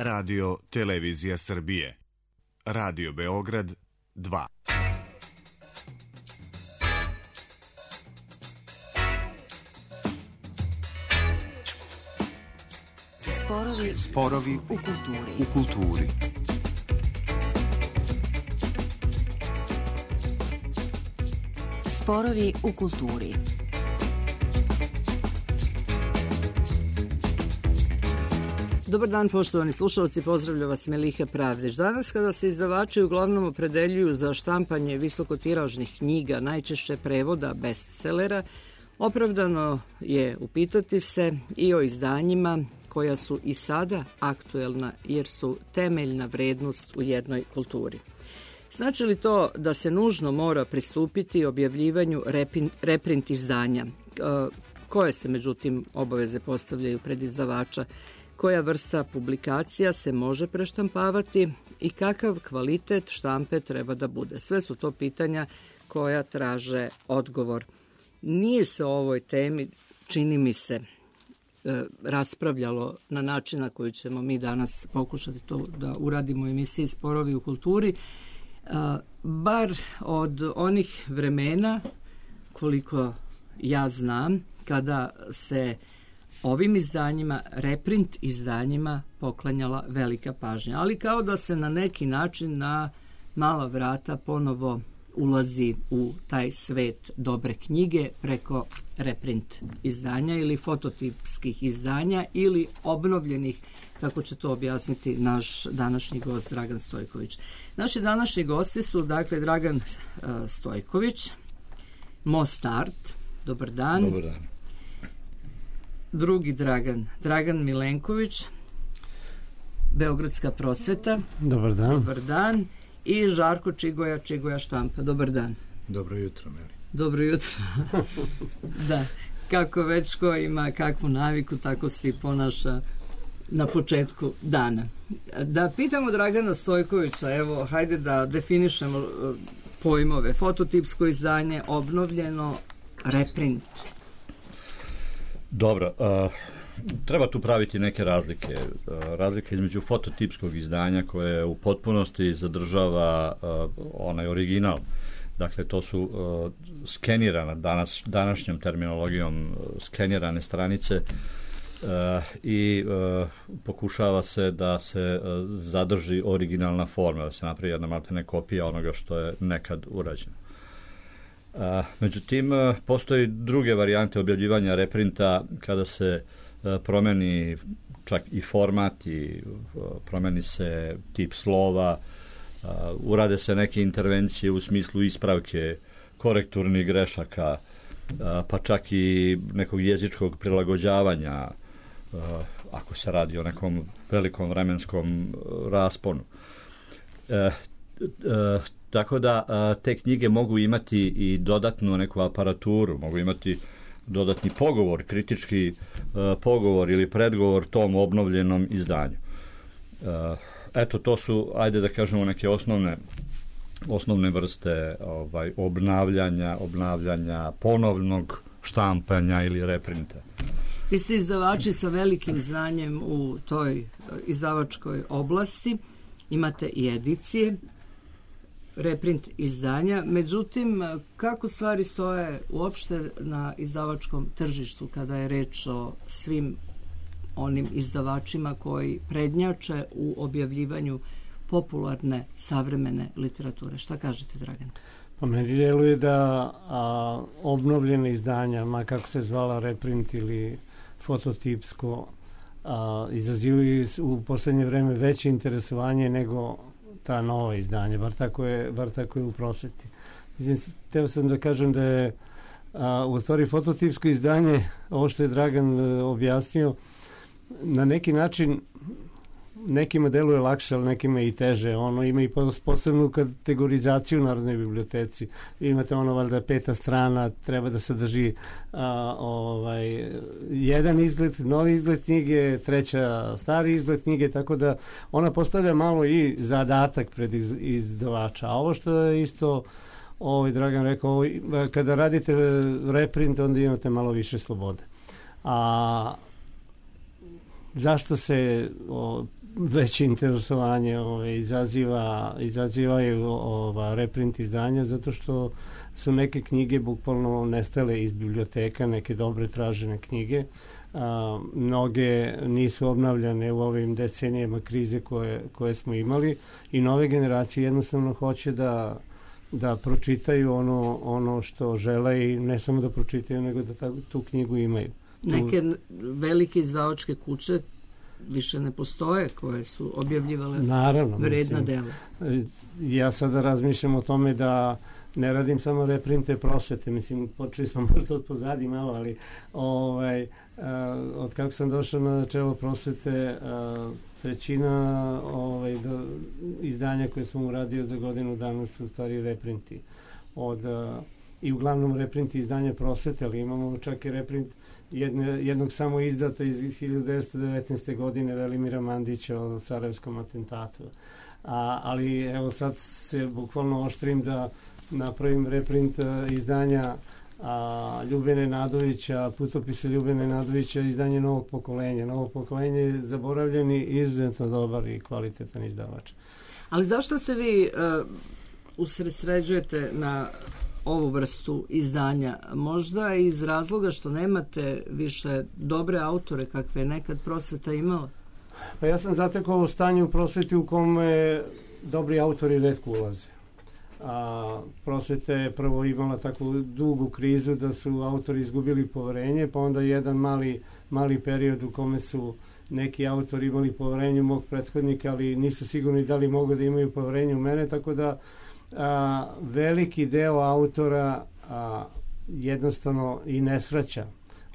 Radio Televizija Srbije. Radio Beograd 2. Sporovi u kulturi. Sporovi u kulturi. Dobar dan, poštovani slušalci, pozdravlja vas Meliha Pravdić. Danas kada se izdavači uglavnom opredeljuju za štampanje visokotiražnih knjiga, najčešće prevoda bestsellera, opravdano je upitati se i o izdanjima koja su i sada aktuelna jer su temeljna vrednost u jednoj kulturi. Znači li to da se nužno mora pristupiti objavljivanju reprint izdanja? Koje se međutim obaveze postavljaju pred izdavača? Koja vrsta publikacija se može preštampavati i kakav kvalitet štampe treba da bude? Sve su to pitanja koja traže odgovor. Nije se o ovoj temi, čini mi se, raspravljalo na način na koji ćemo mi danas pokušati to da uradimo u emisiji Sporovi u kulturi, bar od onih vremena, koliko ja znam, kada se ovim izdanjima, reprint izdanjima, poklanjala velika pažnja. Ali kao da se na neki način na mala vrata ponovo ulazi u taj svet dobre knjige preko reprint izdanja ili fototipskih izdanja ili obnovljenih, kako će to objasniti naš današnji gost Dragan Stojković. Naši današnji gosti su dakle Dragan Stojković, Most Art, dobar dan. Dobar dan. Drugi Dragan Milenković, Beogradska prosveta. Dobar dan. Dobar dan. I Žarko Čigoja štampa. Dobar dan. Dobro jutro, Meli. Dobro jutro. Da, kako već ko ima kakvu naviku, tako se i ponaša na početku dana. Da pitamo Dragana Stojkovića, evo, hajde da definišemo pojmove. Fototipsko izdanje, obnovljeno, reprint. Dobro, treba tu praviti neke razlike. Razlika između fototipskog izdanja koje u potpunosti zadržava onaj original. Dakle, to su skenirana, današnjom terminologijom skenirane stranice i pokušava se da se zadrži originalna forma, da se napravi jedna maltene kopija onoga što je nekad urađeno. Međutim, postoji druge varijante objavljivanja reprinta kada se promeni čak i format i promeni se tip slova, urade se neke intervencije u smislu ispravke korekturnih grešaka, pa čak i nekog jezičkog prilagođavanja ako se radi o nekom velikom vremenskom rasponu. Tako da te knjige mogu imati i dodatnu neku aparaturu, mogu imati dodatni pogovor, kritički pogovor ili predgovor tom obnovljenom izdanju. Eto, to su, ajde da kažemo, neke osnovne vrste obnavljanja, ponovnog štampanja ili reprinta. Vi ste izdavači sa velikim znanjem u toj izdavačkoj oblasti, imate i edicije, reprint izdanja. Međutim, kako stvari stoje uopšte na izdavačkom tržištu kada je reč o svim onim izdavačima koji prednjače u objavljivanju popularne savremene literature? Šta kažete, Dragan? Pa meni djeluje da obnovljene izdanja, ma kako se zvala reprint ili fototipsko, izazivaju u poslednje vreme veće interesovanje nego ta nova izdanja, bar tako je u prosveti. Teo sam da kažem da je u stvari fototipsko izdanje, ovo što je Dragan objasnio, na neki način nekima deluje lakše, ali nekima i teže. Ono ima i posebnu kategorizaciju u Narodnoj biblioteci. Imate valjda 5. strana, treba da sadrži jedan izgled, novi izgled knjige, 3. stari izgled knjige, tako da ona postavlja malo i zadatak pred izdavača. A ovo što je isto Dragan rekao, kada radite reprint, onda imate malo više slobode. Zašto se veće interesovanje izazivaju reprint izdanja, zato što su neke knjige bukvalno nestale iz biblioteka, neke dobre tražene knjige. Mnoge nisu obnavljane u ovim decenijama krize koje smo imali i nove generacije jednostavno hoće da pročitaju ono što žele i ne samo da pročitaju, nego da tu knjigu imaju. Neke velike izdavačke kuće više ne postoje koje su objavljivale vredna dela. Ja sada razmišljam o tome da ne radim samo reprinte prosvete, mislim, počeli smo možda od pozadi malo, ali od kako sam došao na čelo prosvete, trećina izdanja koje sam uradio za godinu dana su u stvari reprinti. I uglavnom reprinti izdanja prosvete, ali imamo čak i reprint jednog samo izdata iz 1919. godine Velimira Mandića o Sarajevskom atentatu. Ali evo sad se bukvalno oštrim da napravim reprint izdanja Ljubene Nadovića, putopise Ljubene Nadovića, izdanje Novog pokolenja. Novo pokolenje je zaboravljen i izuzetno dobar i kvalitetan izdavač. Ali zašto se vi usredsređujete na ovu vrstu izdanja? Možda iz razloga što nemate više dobre autore kakve je nekad prosveta imala? Pa ja sam zatekao stanje u prosveti u kome dobri autori retko ulaze. Prosveta je prvo imala takvu dugu krizu da su autori izgubili poverenje, pa onda jedan mali period u kome su neki autori imali poverenje u mog prethodnika, ali nisu sigurni da li mogu da imaju poverenje u mene, tako da veliki deo autora jednostavno i ne svraća.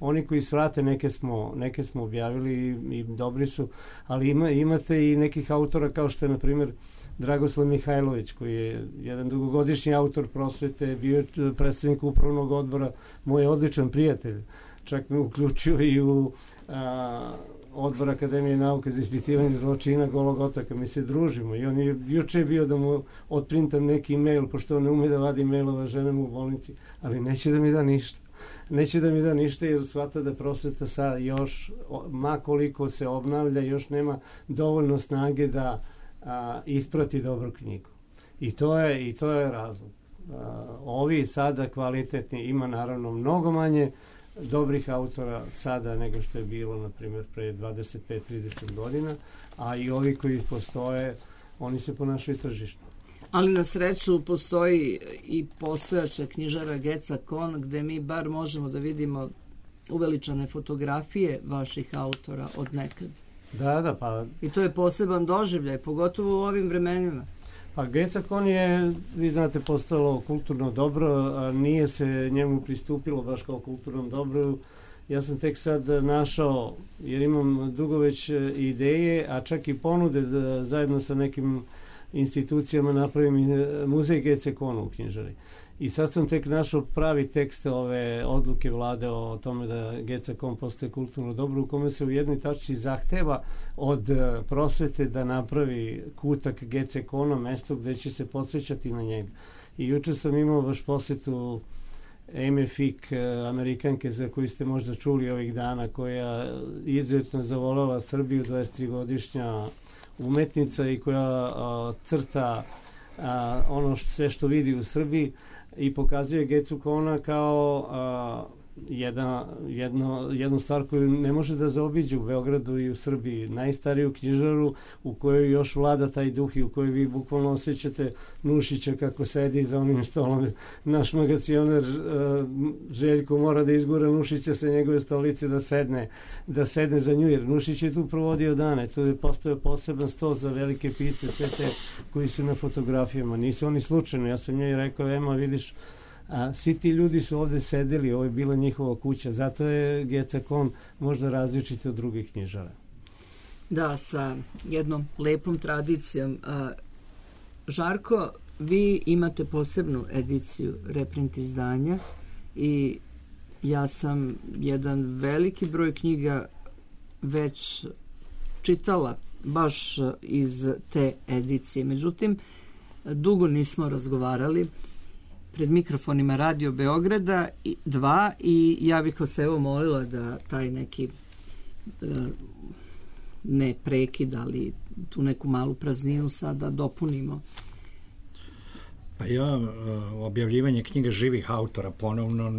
Oni koji svrate, neke smo objavili i dobri su, ali imate i nekih autora kao što je, na primjer, Dragoslav Mihajlović, koji je jedan dugogodišnji autor prosvete, bio je predsednik upravnog odbora, moj odličan prijatelj. Čak me uključio i u odbor Akademije nauke za ispitivanje zločina Golog otoka. Mi se družimo i on je juče bio da mu otprintam neki mail, pošto on ne ume da vadi mailova ženama u bolnici, ali neće da mi da ništa. Neće da mi da ništa jer shvata da prosveta sad još, ma koliko se obnavlja, još nema dovoljno snage da isprati dobru knjigu. I to je razlog. Ovi sada kvalitetni, ima naravno mnogo manje dobrih autora sada nego što je bilo, na primjer, pre 25-30 godina, a i ovi koji postoje, oni se ponašaju tržišno. Ali na sreću postoji i postojača knjižara Geca Kon, gde mi bar možemo da vidimo uveličane fotografije vaših autora od nekad. Da, pa... I to je poseban doživljaj, pogotovo u ovim vremenima. Pa Geca Kon je, vi znate, postalo kulturno dobro, a nije se njemu pristupilo baš kao kulturnom dobru. Ja sam tek sad našao, jer imam dugo već ideje, a čak i ponude da zajedno sa nekim institucijama napravim muzej Gece Kona u knjižari. I sad sam tek našao pravi tekst ove odluke vlade o tome da Geca Kon postaje kulturno dobro, u kome se u jednoj tačci zahteva od prosvete da napravi kutak Gece Kona, mesto gde će se podsjećati na njega. I juče sam imao baš posjetu Amy Fick, Amerikanke za koju ste možda čuli ovih dana, koja izuzetno zavoljela Srbiju, 23-godišnja umetnica i koja crta ono sve što vidi u Srbiji i pokazuje Gecu Kona kao jednu stvar koju ne može da zaobiđe u Beogradu i u Srbiji. Najstariju knjižaru u kojoj još vlada taj duh i u kojoj vi bukvalno osjećate Nušića kako sedi za onim stolom. Naš magacioner Željko mora da izgura Nušića sa njegove stolice da sedne za nju, jer Nušić je tu provodio dane. Tu je postojao poseban sto za velike pisce, sve te koji su na fotografijama. Nisu oni slučajno. Ja sam njoj rekao, Ema, vidiš, svi ti ljudi su ovde sedeli, ovo je bila njihova kuća, zato je Geca Kon možda različita od drugih knjižara. Da, sa jednom lepom tradicijom. Žarko, vi imate posebnu ediciju reprint izdanja i ja sam jedan veliki broj knjiga već čitala baš iz te edicije. Međutim, dugo nismo razgovarali pred mikrofonima Radio Beograda 2 i ja bih vas evo molila da taj neki ne prekid, ali tu neku malu prazninu sada dopunimo. Pa ja objavljivanje knjiga živih autora ponovno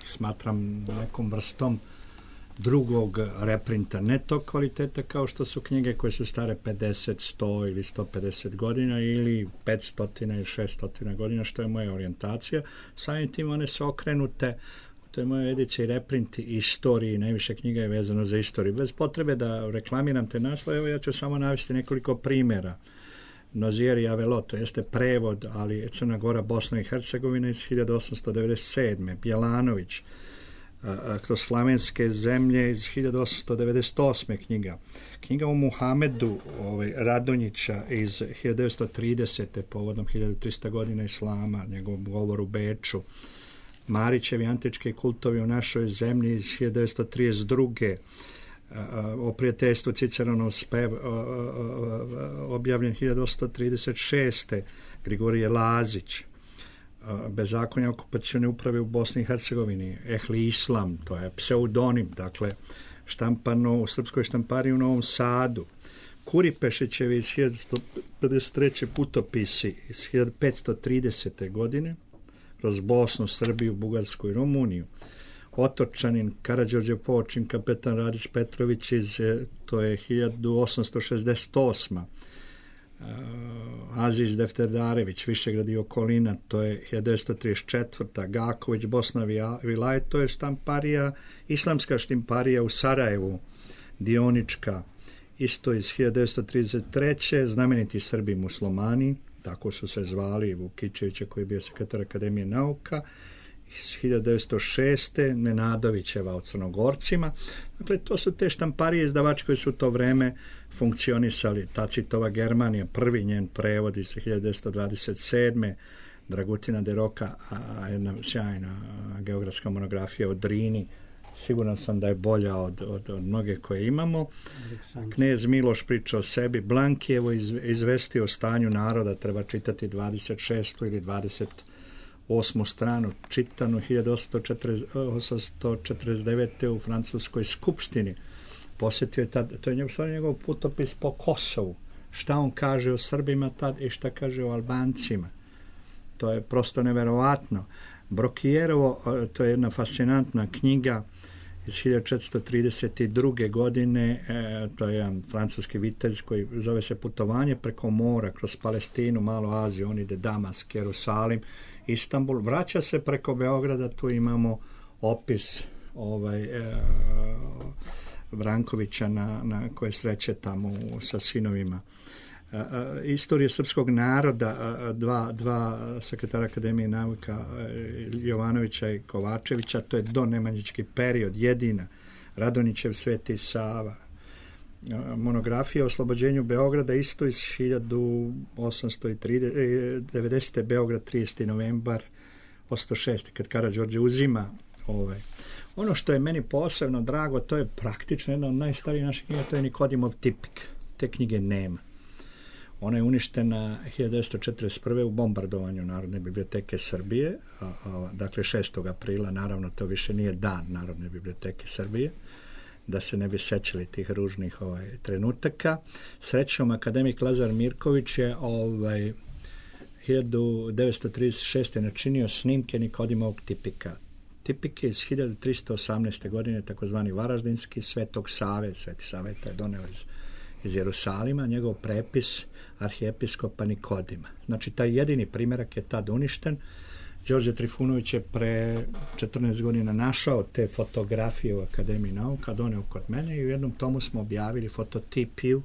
smatram nekom vrstom drugog reprinta, ne tog kvaliteta kao što su knjige koje su stare 50, 100 ili 150 godina ili 500 ili 600 godina, što je moja orijentacija. Samim tim one su okrenute, to je moja edicija i reprinti istoriji, najviše knjiga je vezano za istoriju. Bez potrebe da reklamiram te naslove, evo ja ću samo navesti nekoliko primjera. Nozier i Avelo, to jeste prevod, ali Crna Gora, Bosna i Hercegovina iz 1897. Bjelanović, kroz slavenske zemlje iz 1898. Knjiga o Muhamedu Radonjića iz 1930. povodom 1300 godina Islama, njegov govor u Beču. Marićevi antički kultovi u našoj zemlji iz 1932. O prijateljstvu Ciceronov spev objavljen 1836. Grigorije Lazić. Bezakonje okupacione uprave u Bosni i Hercegovini, Ehli Islam, to je pseudonim, dakle štampano u srpskoj štampari u Novom Sadu. Kuripešićevi iz 1953. putopisi iz 1530. godine kroz Bosnu, Srbiju, Bugarsku i Rumuniju. Otočanin Karađorđe Počin, kapetan Radić Petrović to je 1868. Aziz Defterdarević, Višegrad i okolina, to je 1934. Gaković, Bosna Vilajet, to je štamparija, islamska štamparija u Sarajevu, Dionička, isto iz 1933. Znameniti Srbi muslimani, tako su se zvali, Vukičevića koji je bio sekretar Akademije nauka, iz 1906. Nenadovićeva o Crnogorcima. Dakle, to su te štamparije izdavači koji su u to vreme funkcionisali. Tacitova Germanija, prvi njen prevod iz 1927. Dragutina de Roka, jedna sjajna geografska monografija o Drini. Siguran sam da je bolja od mnoge koje imamo. Knez Miloš priča o sebi. Blankijevo izvesti o stanju naroda, treba čitati 26. ili 28. stranu, čitanu 1849. u Francuskoj skupštini. Posjetio je tad, to je njegov putopis po Kosovu. Šta on kaže o Srbima tad i šta kaže o Albancima. To je prosto neverovatno. Brokijerovo, to je jedna fascinantna knjiga iz 1432. godine, to je jedan francuski vitez koji zove se Putovanje preko mora, kroz Palestinu, Malu Aziju, on ide Damask, Jerusalim, Istanbul, vraća se preko Beograda, tu imamo opis Vrankovića na koje sreće tamo sa sinovima. Istorije srpskog naroda, dva sekretara Akademije nauka, Jovanovića i Kovačevića, to je donemanjički period, jedina. Radonjićev Sveti Sava. Monografija o oslobođenju Beograda, isto iz 1890. Beograd, 30. novembar 1806. kad Karađorđe uzima Ono što je meni posebno drago, to je praktično jedna od najstarijih naših knjiga, to je Nikodimov tipik. Te knjige nema. Ona je uništena 1941. u bombardovanju Narodne biblioteke Srbije, dakle 6. aprila, naravno to više nije dan Narodne biblioteke Srbije, da se ne bi sećali tih ružnih trenutaka. Srećom, akademik Lazar Mirković je 1936. načinio snimke Nikodimovog tipika. Tipik je iz 1318. godine, takozvani Varaždinski, Svetog Save, Sveti Saveta je doneo iz Jerusalima, njegov prepis arhijepiskopa Nikodima. Znači, taj jedini primjerak je tad uništen. Đorđe Trifunović je pre 14 godina našao te fotografije u Akademiji nauka, doneo kod mene i u jednom tomu smo objavili fototipiju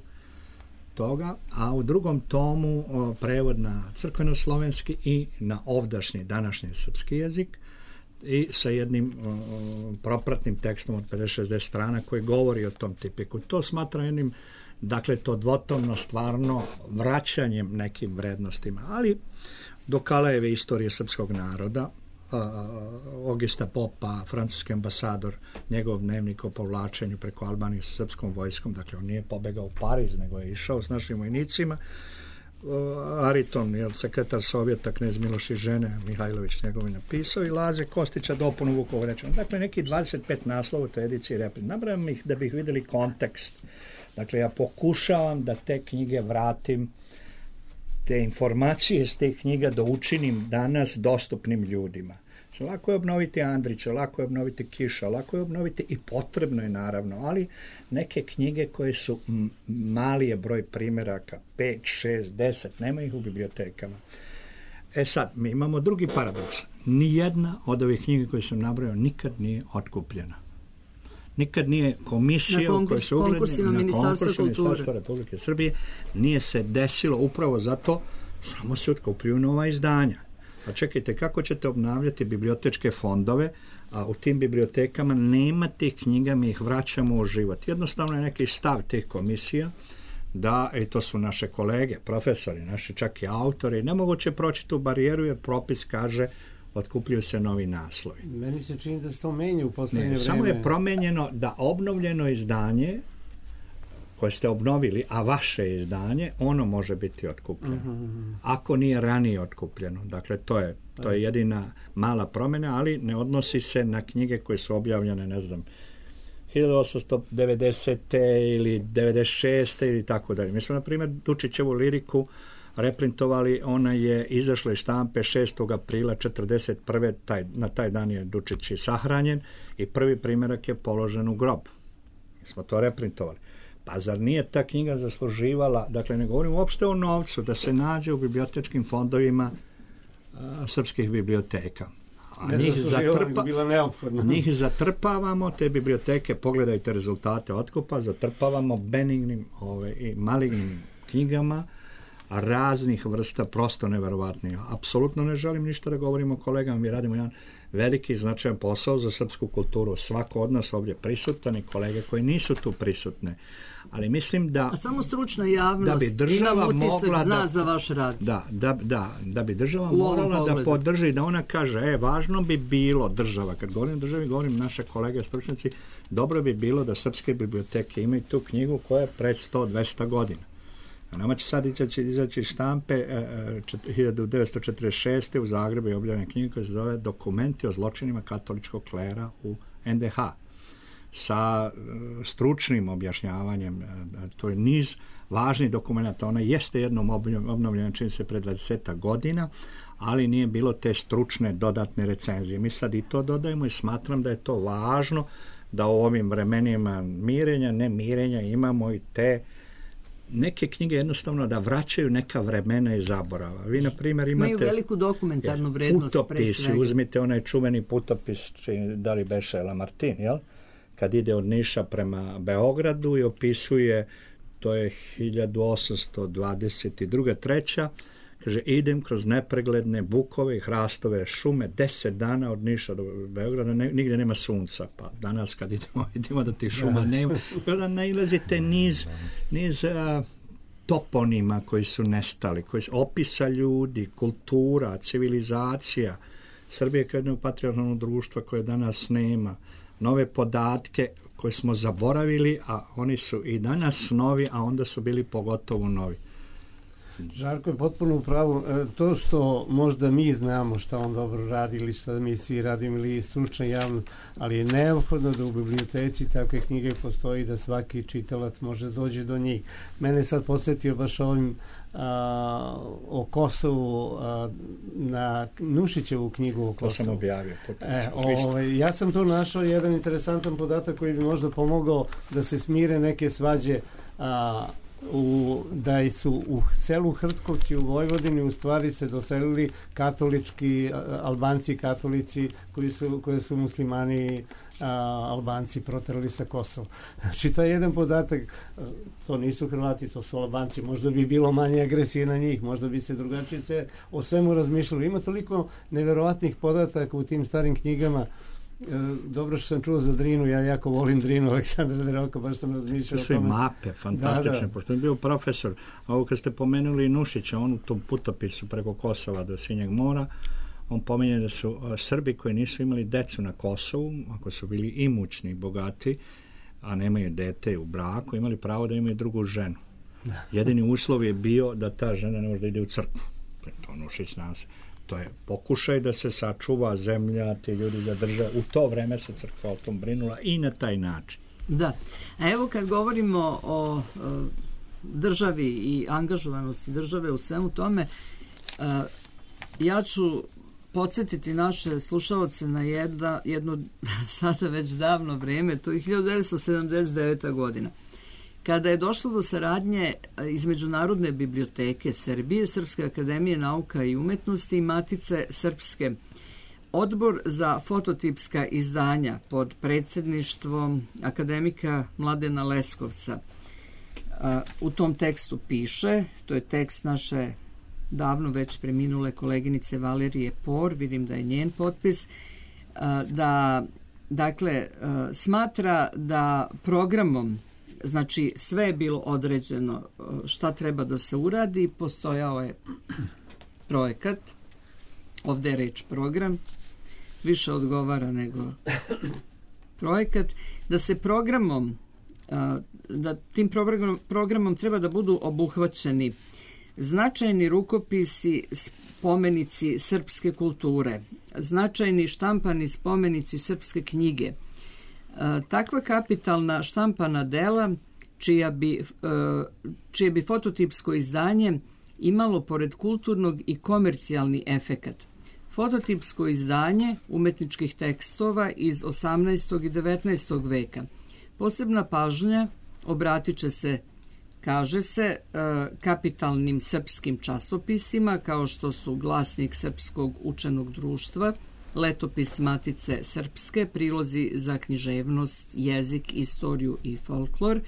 toga, a u drugom tomu prevod na crkveno-slovenski i na ovdašnji, današnji srpski jezik i sa jednim propratnim tekstom od 50-60 strana koji govori o tom tipiku. To smatram jednim, dakle, to dvotomno stvarno vraćanjem nekim vrednostima, ali do Kalejeve istorije srpskog naroda, Ogista Popa, francuski ambasador, njegov dnevnik o povlačenju preko Albanije sa srpskom vojskom, dakle on nije pobegao u Pariz, nego je išao s našim vojnicima. Ariton, sekretar Sovjeta, knez Miloš i žene, Mihajlović njegovi napisao, i Laze Kostića dopunu Vukovarečana. Dakle, neki 25 naslova u toj ediciji reprint. Nabrajam ih da bih vidjeli kontekst, Dakle, ja pokušavam da te knjige vratim, te informacije iz te knjiga da učinim danas dostupnim ljudima. Lako je obnoviti Andrića, lako je obnoviti Kiša, lako je obnoviti i potrebno je naravno, ali neke knjige koje su mali je broj primjeraka, 5, 6, 10, nema ih u bibliotekama. Sad, mi imamo drugi paradoks. Nijedna od ovih knjiga koje sam nabrojao nikad nije otkupljena. Nikad nije komisija u kojoj se konkursima Ministarstva kulture Republike Srbije nije se desilo upravo zato samo se otkupljuju nova izdanja. Pa čekajte, kako ćete obnavljati bibliotečke fondove, a u tim bibliotekama nema tih knjiga, mi ih vraćamo u život. Jednostavno je neki stav tih komisija da, i to su naše kolege, profesori, naši čak i autori, nemoguće proći tu barijeru jer propis kaže otkupljuju se novi naslovi. Meni se čini da se to menja u poslednje vreme. Samo je promenjeno da obnovljeno izdanje koje ste obnovili, a vaše izdanje, ono može biti otkupljeno. Ako nije ranije otkupljeno. Dakle, to je jedina mala promjena, ali ne odnosi se na knjige koje su objavljene, ne znam, 1890. ili 96. ili tako dalje. Mi smo, na primjer, Dučićevu liriku reprintovali, ona je izašla iz štampe 6. aprila 1941. Na taj dan je Dučić i sahranjen i prvi primjerak je položen u grob. Mi smo to reprintovali. Pa zar nije ta knjiga zasluživala, dakle ne govorim uopšte o novcu, da se nađe u bibliotečkim fondovima srpskih biblioteka. Njih zatrpavamo, te biblioteke, pogledajte rezultate otkupa, zatrpavamo benignim i malignim knjigama raznih vrsta, prosto neverovatnih. Apsolutno ne želim ništa da govorim o kolegama, mi radimo jedan veliki značajan posao za srpsku kulturu. Svako od nas ovdje prisutan i kolege koji nisu tu prisutne. Ali mislim da... A samo stručna javnost ima utisak zna za vaš rad. Da bi država morala da podrži, da ona kaže, važno bi bilo država, kad govorim o državi, govorim naše kolege stručnjaci, dobro bi bilo da srpske biblioteke imaju tu knjigu koja je pred 100-200 godina. Nama će sad izaći štampe 1946. u Zagrebu je objavljena knjiga koja se zove Dokumenti o zločinima katoličkog klera u NDH sa stručnim objašnjavanjem. To je niz važnih dokumenta. Ona jeste jednom obnovljena, čini se, pred 20 godina, ali nije bilo te stručne dodatne recenzije. Mi sad i to dodajemo i smatram da je to važno da u ovim vremenima mirenja, ne mirenja imamo i te neke knjige jednostavno da vraćaju neka vremena i zaborava. Vi, na primjer, imate... Imaju veliku dokumentarnu vrednost, pre svega. Uzmite onaj čuveni putopis, da li beše Lamartine, jel? Kad ide od Niša prema Beogradu i opisuje, to je 1822. treća, kaže, idem kroz nepregledne bukove i hrastove šume 10 dana od Niša do Beograda, nigdje nema sunca, pa danas kad idemo da tih šuma nema, kada nailazite niz toponima koji su nestali, opisa ljudi, kultura, civilizacija. Srbija je kao jedno patrijarhalno društvo koje danas nema, nove podatke koje smo zaboravili, a oni su i danas novi, a onda su bili pogotovo novi. Žarko je potpuno u pravu. To što možda mi znamo šta on dobro radi ili što mi svi radimo ili stručna javnost, ali je neophodno da u biblioteci takve knjige postoji da svaki čitalac može doći do njih. Mene sad podsjetio baš ovim o Kosovu na Nušićevu knjigu o Kosovu. To sam objavio. Ja sam tu našao jedan interesantan podatak koji bi možda pomogao da se smire neke svađe da su u selu Hrtkovci u Vojvodini u stvari se doselili katolički Albanci katolici koji su muslimani Albanci proterali sa Kosova. Znači taj jedan podatak, to nisu Hrvati, to su Albanci, možda bi bilo manje agresije na njih, možda bi se drugačije o svemu razmišljali. Ima toliko neverovatnih podataka u tim starim knjigama. Dobro što sam čuo za Drinu, ja jako volim Drinu Aleksandra Deroka, baš sam razmišljao o tome. To su i mape fantastične, pošto je bio profesor. Ovo kad ste pomenuli Nušića, on u tom putopisu preko Kosova do Sinjeg mora, on pominje da su Srbi koji nisu imali decu na Kosovu, ako su bili imućni, bogati, a nemaju dete u braku, imali pravo da imaju drugu ženu. Jedini uslov je bio da ta žena ne može da ide u crkvu. To Nušić nas. To je pokušaj da se sačuva zemlja, ti ljudi zadrže. U to vreme se crkva o tom brinula i na taj način. Da. A evo kad govorimo o državi i angažovanosti države u svemu tome, ja ću podsjetiti naše slušaoce na jedno sada već davno vreme, to je 1979. godina. Kada je došlo do saradnje između Narodne biblioteke Srbije, Srpske akademije nauka i umetnosti i Matice Srpske, Odbor za fototipska izdanja pod predsjedništvom akademika Mladena Leskovca. U tom tekstu piše, to je tekst naše davno već preminule koleginice Valerije Por, vidim da je njen potpis, da dakle smatra da programom, znači sve je bilo određeno šta treba da se uradi, postojao je projekat, ovdje je reč program, više odgovara nego projekat, da se programom, da tim programom treba da budu obuhvaćeni značajni rukopisi, spomenici srpske kulture, značajni štampani spomenici srpske knjige. Takva kapitalna štampana dela čije bi fototipsko izdanje imalo pored kulturnog i komercijalni efekat. Fototipsko izdanje umetničkih tekstova iz 18. i 19. veka. Posebna pažnja obratit će se, kaže se, kapitalnim srpskim časopisima kao što su Glasnik Srpskog učenog društva, Letopis Matice Srpske, prilozi za književnost, jezik, istoriju i folklor.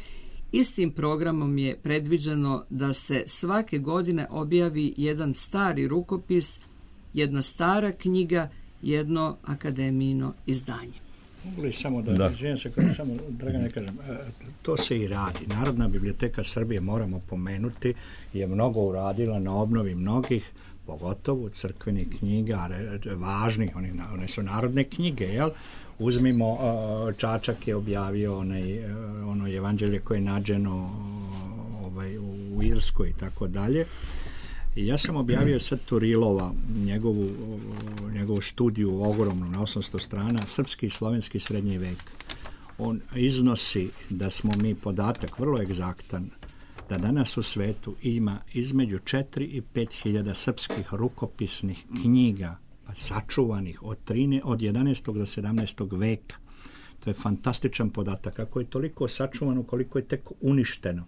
Istim programom je predviđeno da se svake godine objavi jedan stari rukopis, jedna stara knjiga, jedno akademijino izdanje. Mogu li samo da izvijem se, samo Dragane kažem, to se i radi. Narodna biblioteka Srbije, moramo pomenuti, je mnogo uradila na obnovi mnogih, pogotovo crkvenih knjiga, važnih, one su narodne knjige, jel? Uzmimo, Čačak je objavio ono evanđelje koje je nađeno u Irskoj i tako dalje. I ja sam objavio sad Turilova, njegovu studiju ogromnu na 800 strana, srpski i slovenski srednji vek. On iznosi da smo mi podatak vrlo egzaktan, da danas u svetu ima između 4 i 5 hiljada srpskih rukopisnih knjiga, sačuvanih od 11. do 17. veka. To je fantastičan podatak. Ako je toliko sačuvano, koliko je tek uništeno.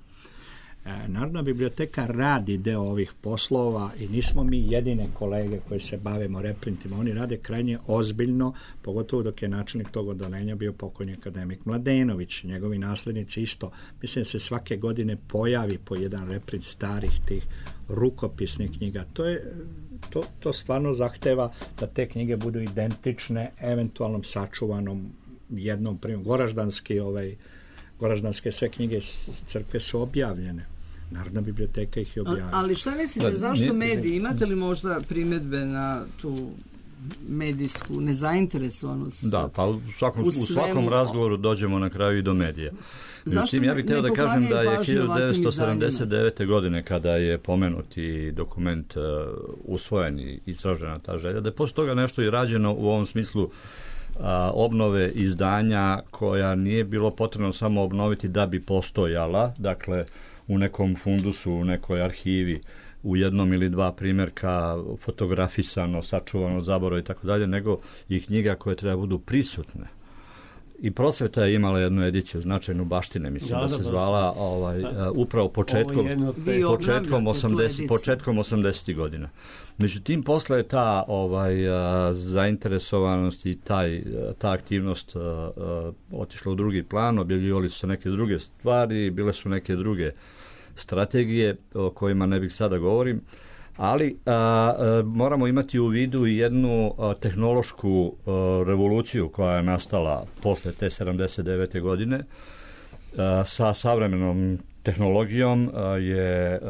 Narodna biblioteka radi deo ovih poslova i nismo mi jedine kolege koji se bavimo reprintima. Oni rade krajnje ozbiljno, pogotovo dok je načelnik tog odeljenja bio pokojni akademik Mladenović. Njegovi naslednici isto. Mislim da se svake godine pojavi po jedan reprint starih tih rukopisnih knjiga. To stvarno zahteva da te knjige budu identične eventualnom sačuvanom jednom primjeru. Goraždanske sve knjige crkve su objavljene. Narodna biblioteka ih je objavila. Ali šta mislite, zašto mediji? Imate li možda primjedbe na tu medijsku nezainteresovanost? Da, pa u svakom razgovoru dođemo na kraju i do medija. Međutim, ja bih htio da kažem da je 1979. godine, kada je pomenuti dokument usvojen i izražena ta želja, da je posle toga nešto i rađeno u ovom smislu obnove izdanja koja nije bilo potrebno samo obnoviti da bi postojala, dakle u nekom fundusu, u nekoj arhivi, u jednom ili dva primjerka fotografisano, sačuvano od zaborava i tako dalje, nego i knjiga koje treba budu prisutne. I Prosveta je imala jednu ediciju, značajnu Baštine, mislim da se zvala upravo početkom 80. godina. Međutim, posle je ta zainteresovanost i ta aktivnost otišla u drugi plan, objavljivali su se neke druge stvari, bile su neke druge strategije o kojima ne bih sada govorim, ali moramo imati u vidu i jednu tehnološku revoluciju koja je nastala posle te 79. godine. Sa savremenom tehnologijom je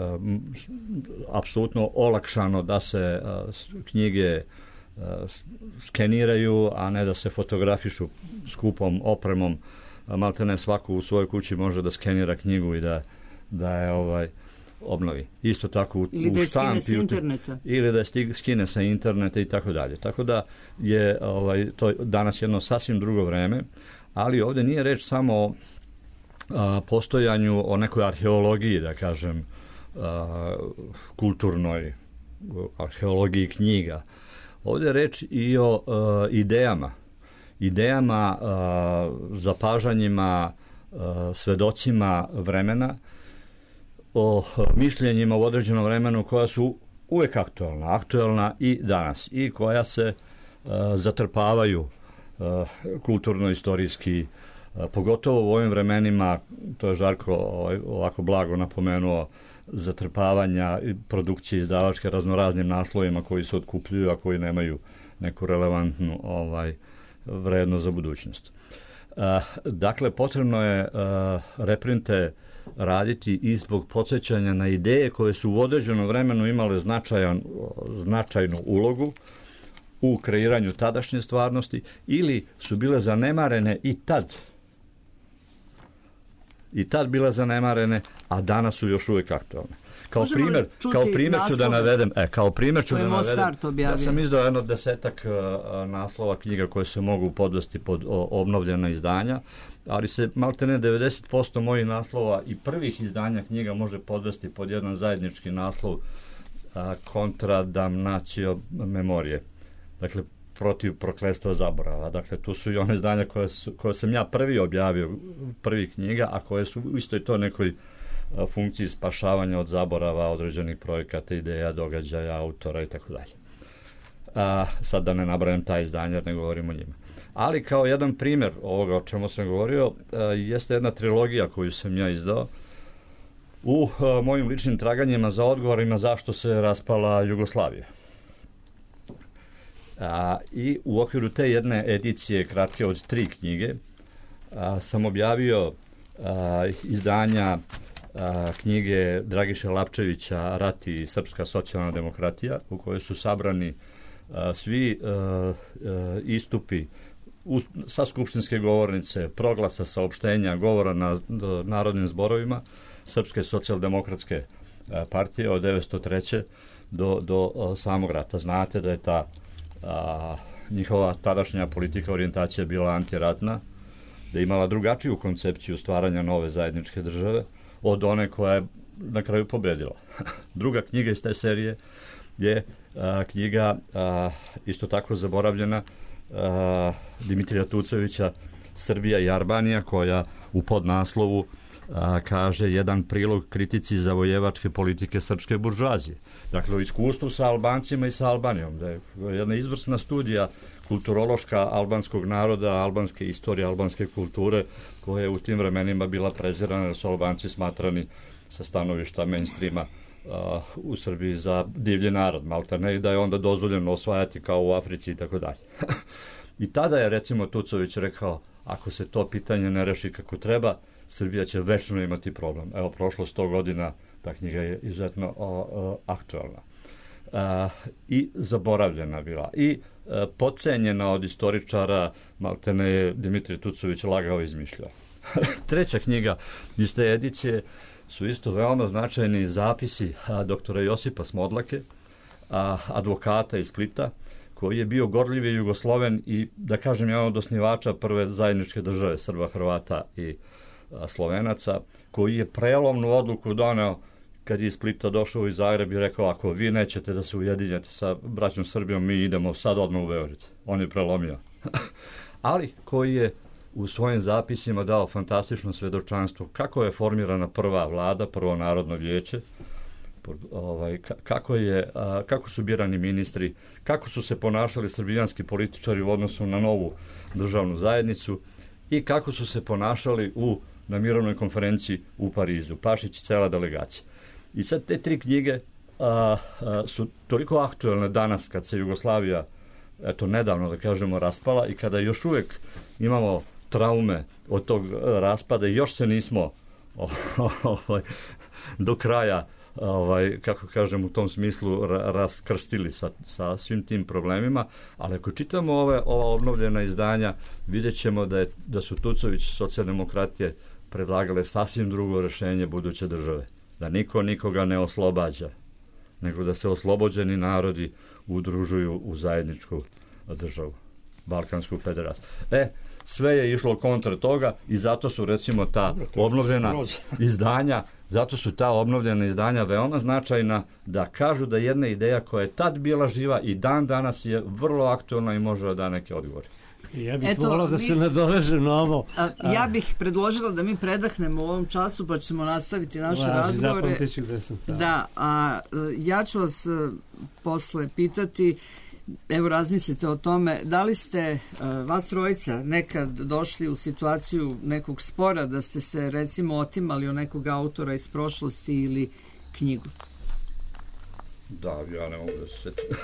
apsolutno olakšano da se knjige skeniraju, a ne da se fotografišu skupom opremom. Maltene svaku u svojoj kući može da skenira knjigu i da je obnovi. Isto tako u štampi ili da je skine sa interneta i tako dalje. Tako da je to danas jedno sasvim drugo vreme, ali ovdje nije reč samo postojanju, o nekoj arheologiji, da kažem, kulturnoj arheologiji knjiga. Ovdje je reč i o idejama, zapažanjima, svedocima vremena, o mišljenjima u određenom vremenu koja su uvijek aktuelna i danas i koja se zatrpavaju kulturno-istorijski, pogotovo u ovim vremenima, to je Žarko ovako blago napomenuo, zatrpavanja produkcije izdavačke raznoraznim naslovima koji se otkupljuju, a koji nemaju neku relevantnu vrednost za budućnost. Dakle, potrebno je reprinte raditi i zbog podsjećanja na ideje koje su u određenom vremenu imale značajnu ulogu u kreiranju tadašnje stvarnosti ili su bile zanemarene i tad bile zanemarene, a danas su još uvijek aktualne. Kao primjer ću da navedem, ja sam izdao jedno 10 naslova knjiga koje se mogu podvesti pod obnovljena izdanja, ali se maltene 90% mojih naslova i prvih izdanja knjiga može podvesti pod jedan zajednički naslov Contra damnatio memorije. Dakle, protiv prokletstva zaborava. Dakle, tu su i one izdanja koje sam ja prvi objavio, prvi knjiga, a koje su u istoj to nekoj funkciji spašavanja od zaborava određenih projekata, ideja, događaja, autora i tako dalje. Sad da ne nabrajam ta izdanja, ne govorim o njima. Ali kao jedan primjer ovoga o čemu sam govorio, jeste jedna trilogija koju sam ja izdao u mojim ličnim traganjima za odgovorima zašto se raspala Jugoslavija. I u okviru te jedne edicije kratke od 3 knjige sam objavio izdanja knjige Dragiše Lapčevića Rat i srpska socijalna demokratija, u kojoj su sabrani svi istupi sa skupštinske govornice, proglasa, saopštenja, govora na narodnim zborovima Srpske socijaldemokratske partije od 1903. do samog rata. Znate da je ta njihova tadašnja politika orijentacija bila antiratna, da je imala drugačiju koncepciju stvaranja nove zajedničke države od one koja je na kraju pobedila. Druga knjiga iz te serije je knjiga isto tako zaboravljena Dimitrija Tucovića Srbija i Albanija, koja u podnaslovu kaže jedan prilog kritici zavojevačke politike srpske buržoazije. Dakle, o iskustvu sa Albancima i sa Albanijom. Da je jedna izvrsna studija kulturološka albanskog naroda, albanske istorije, albanske kulture, koja je u tim vremenima bila prezirana, jer su Albanci smatrani sa stanovišta mainstreama u Srbiji za divlji narod, maltene, i da je onda dozvoljeno osvajati kao u Africi i tako dalje. I tada je, recimo, Tucović rekao, ako se to pitanje ne reši kako treba, Srbija će večno imati problem. Evo, prošlo 100 godina, ta knjiga je izuzetno aktualna. I zaboravljena bila. I podcenjena od istoričara, maltene je Dimitrij Tucović lagao i izmišljao. Treća knjiga iz te edicije su isto veoma značajni zapisi doktora Josipa Smodlake, advokata iz Splita, koji je bio gorljivi Jugosloven i, da kažem, jedan od osnivača prve zajedničke države Srba, Hrvata i Slovenaca, koji je prelomnu odluku doneo kad je iz Splita došao iz Zagreb i rekao, ako vi nećete da se ujedinjete sa braćom Srbijom, mi idemo sad odmah u Beograd. On je prelomio. Ali koji je u svojim zapisima dao fantastično svedočanstvo kako je formirana prva vlada, prvo narodno vijeće, kako su birani ministri, kako su se ponašali srbijanski političari u odnosu na novu državnu zajednicu i kako su se ponašali na mirovnoj konferenciji u Parizu. Pašić i cela delegacija. I sad te 3 knjige su toliko aktuelne danas kad se Jugoslavija, eto nedavno da kažemo, raspala i kada još uvijek imamo traume od tog raspada i još se nismo do kraja, kako kažem, u tom smislu raskrstili sa svim tim problemima, ali ako čitamo ova obnovljena izdanja, vidjet ćemo da su Tucović socijaldemokratije predlagale sasvim drugo rješenje buduće države. Da niko nikoga ne oslobađa, nego da se oslobođeni narodi udružuju u zajedničku državu, Balkansku federaciju. sve je išlo kontra toga i zato su recimo ta obnovljena izdanja, zato su ta obnovljena izdanja veoma značajna, da kažu da jedna ideja koja je tad bila živa i dan danas je vrlo aktualna i može da da neke odgovore. Ja bih volao da se nadovežem na ovo. Ja bih predložila da mi predahnemo u ovom času, pa ćemo nastaviti naše razgovore. Da, a ja ću vas posle pitati, evo razmislite o tome, da li ste vas trojica nekad došli u situaciju nekog spora, da ste se recimo otimali od nekog autora iz prošlosti ili knjigu? Da, ja ne mogu da se setim.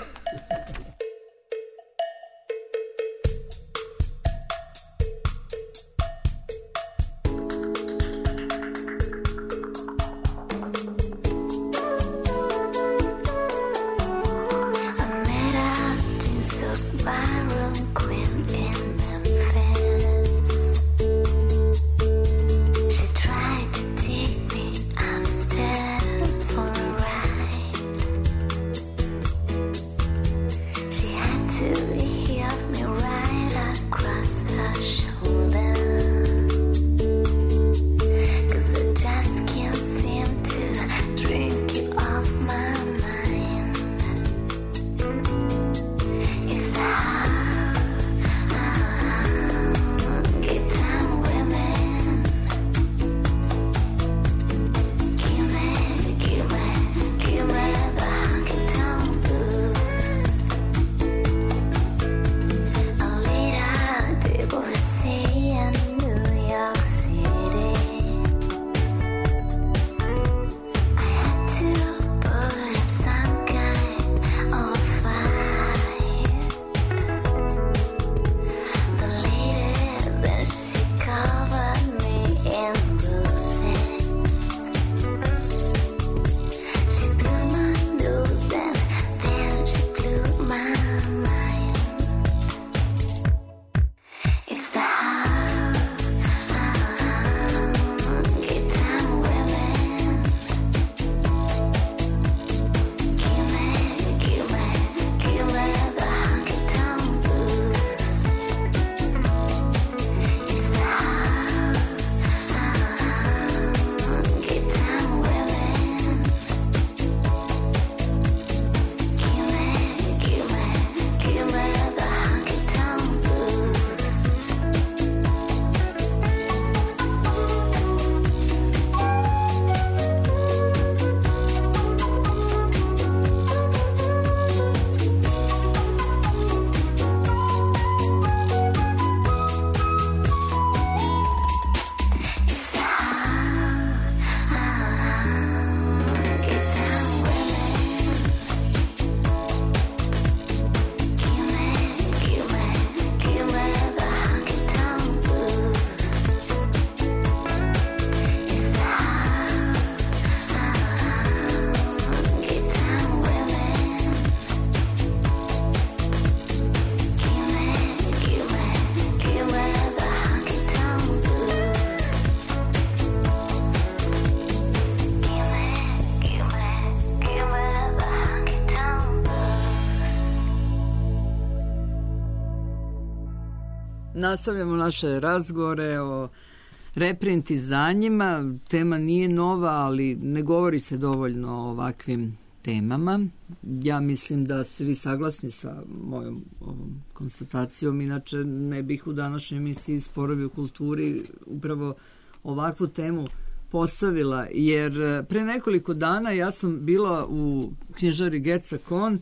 Nastavljamo naše razgovore o reprint izdanjima. Tema nije nova, ali ne govori se dovoljno o ovakvim temama. Ja mislim da ste vi saglasni sa mojom ovom konstatacijom, inače ne bih u današnjoj emisiji Sporovi u kulturi upravo ovakvu temu postavila, jer pre nekoliko dana ja sam bila u knjižari Geca Kon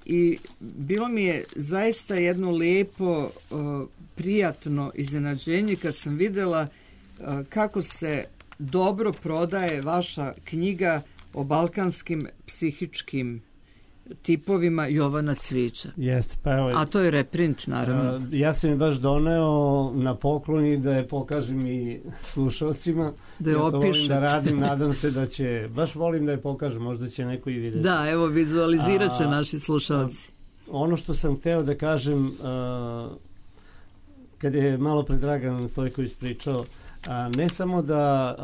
i bilo mi je zaista jedno lepo, prijatno iznenađenje kad sam videla kako se dobro prodaje vaša knjiga o balkanskim psihičkim tipovima Jovana Cvijića. Jeste, pa evo, a to je reprint, naravno. Ja sam je baš doneo na poklon i da je pokažem i slušalcima. Da je opišete. Volim da radim, nadam se da će, baš volim da je pokažem, možda će neko i vidjeti. Da, evo, vizualizirat će naši slušalci. Ono što sam hteo da kažem, kad je malo pre Dragan Stojković pričao, ne samo da